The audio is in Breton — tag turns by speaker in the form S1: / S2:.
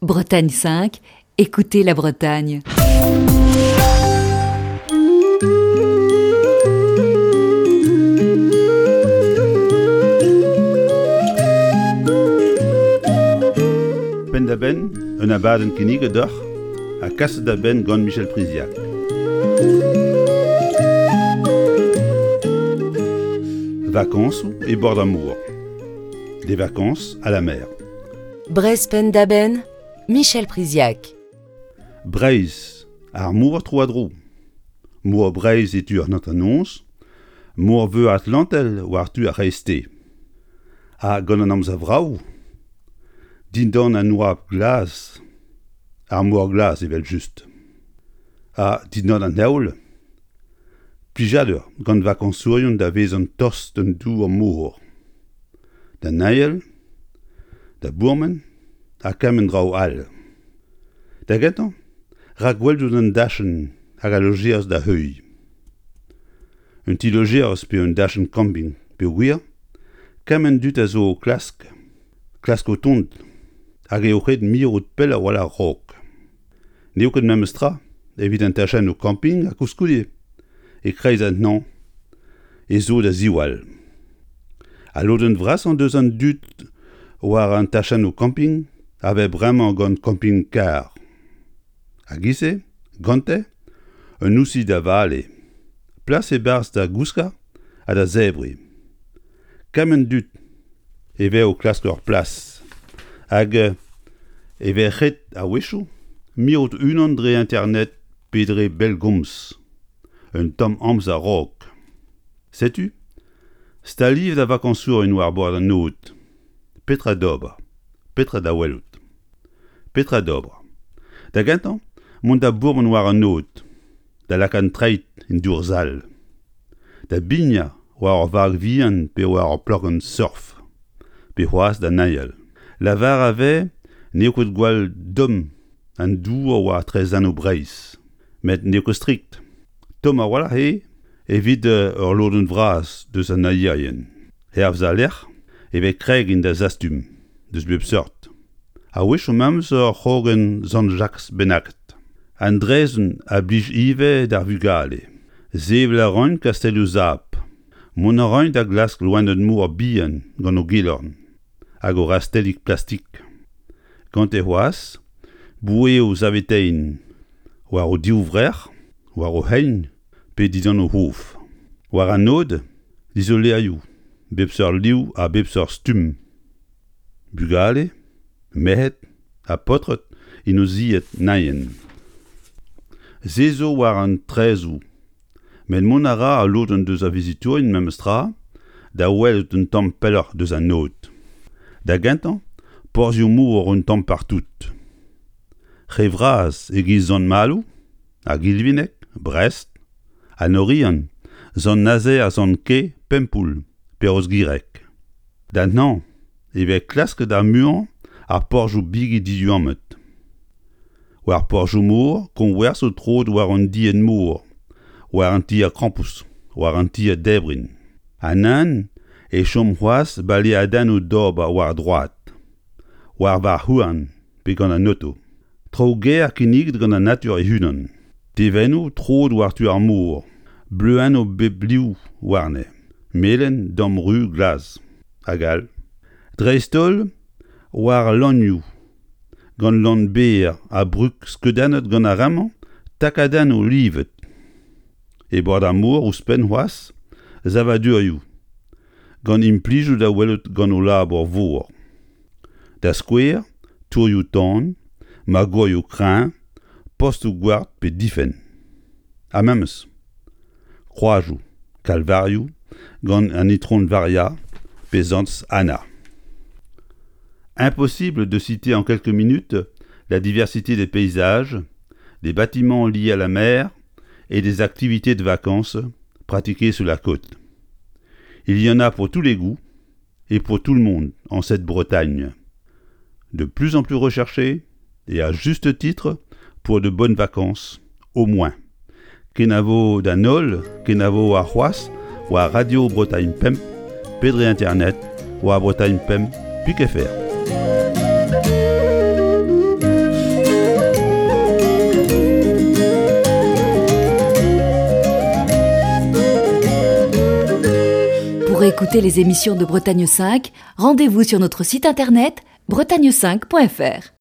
S1: Bretagne 5, écoutez la Bretagne.
S2: Penn-da-benn, un abadenn kinniget deoc'h ha kaset da benn gant Michel Priziac. Vakañsoù e bord ar mor. Des vacances à la mer.
S3: Breizh penn-da-benn, Michel Priziac.
S2: Breizh, ar mor tro-ha-dro. Mor Breizh e tu an hanternoz, Mor Veur Atlantel war tu ar c'hreisteiz. Ha gant an amzer vrav, dindan an oabl glas, ar mor glas evel-just. Ha dindan an heol, plijadur gant vakañsourion da vezañ tost d'an dour mor. Da neuial, da bourmen ha kement draoù all. Da gentañ, rakwelout an dachenn hag al lojeañs da heuilh. Un ti-lojeañs pe un dachenn kamping peogwir kement dud a zo o klask, klask o tont hag eo ret mirout pell a-walc'h a-raok. N'eo ket memes tra evit an tachennoù kamping ha koulskoude e-kreiz an hañv ez zo da ziwall. Al lodenn vrasañ deus an dud war an tachennoù kamping a vez bremañ gant kamping-karr. A-giz-se, gante, un ousi da vale, plas e-barzh da gouskañ ha da zebriñ. Kement dud e vez o klask ur plas hag e vez ret a-wechoù mirout unan dre internet pe dre bellgomz un tamm amzer a-raok. Setu staliet ar vakañsourien war bord an aod. Petra d'ober? Petra da welout? Petra d'ober? Da gentañ, mont da bourmen war an aod, da lakaat an treid en dour sall, da bignañ war ur vag vihan pe war ur plankenn surf, pe c'hoazh da neuial. Lavar a vez n'eo ket gwall domm an dour war traezhennoù Breizh, met n'eo ket strikt. Tomm a-walc'h eo evit ur lodenn vras deus an neuierien. Hervez al lec'h e vez kregin da zastum deus bep seurt. A-wechoù memes ur c'hrogenn Sant-Jakez bennaket. An draezhenn a blij ivez d'ar vugale. Sevel a raint kastellioù sap. Mont a raint da glask loened-mor bihan gant o gelorn hag o rastellig plastik. Gante c'hoazh boueoù saveteiñ war o divvrec'h, war o c'hein pe dindan o c'hof. War an aod, dizolerioù, bep seurt liv ha bep seurt stumm. Bugale, merc'hed ha paotred en o zied naien. Se zo war an traezoù met mont a ra al lodenn deus ar vizitourien memestra da welout un tamm pelloc'h deus an aod. Da gentañ, porzhioù-mor un tamm partout. Re vras e-giz Sant-Maloù, ar Gilvineg, Brest, an Oriant, Sant-Nazer ha Sant-Ke, Pempoull pe Rozgireg. D'an hañv e vez klasket ar muiañ ar porzhioù bigi diduammet. War porzhioù-mor koñversoù troet war an dienn-mor, war an tier-krampouezh, war an tier-debriñ. Ha nann e chom c'hoazh baleadennoù d'ober war droad, war varc'h-houarn pe gant an oto. Traoù gaer kinniget gant an natur e-unan. Tevennoù troet war-tu ar mor, bleuennoù bep liv warne, melen, damru, glas, hag all. Dreist-holl war al lannioù, gant lann berr ha brug skeudennet gant ar re-mañ takadennoù livet. E bord ar mor ouzhpenn c'hoazh, savadurioù, gant implijoù da welout gant o labour vor. Da skouer, tourioù-tan, magourioù kreñv, postoù-gward pe difenn. Ha memes kroazioù, kalvarioù gant an Itron Varia pe Santez Anna. Impossible de citer en quelques minutes la diversité des paysages, des bâtiments liés à la mer et des activités de vacances pratiquées sur la côte. Il y en a pour tous les goûts et pour tout le monde en cette Bretagne. De plus en plus recherchée et à juste titre pour de bonnes vacances, au moins. Kenavo d'an holl, kenavo arc'hoazh war Radio Bretagne Pemp pe dre internet war Bretagne Pemp pik fr.
S1: Pour écouter les émissions de Bretagne 5, rendez-vous sur notre site internet bretagne5.fr.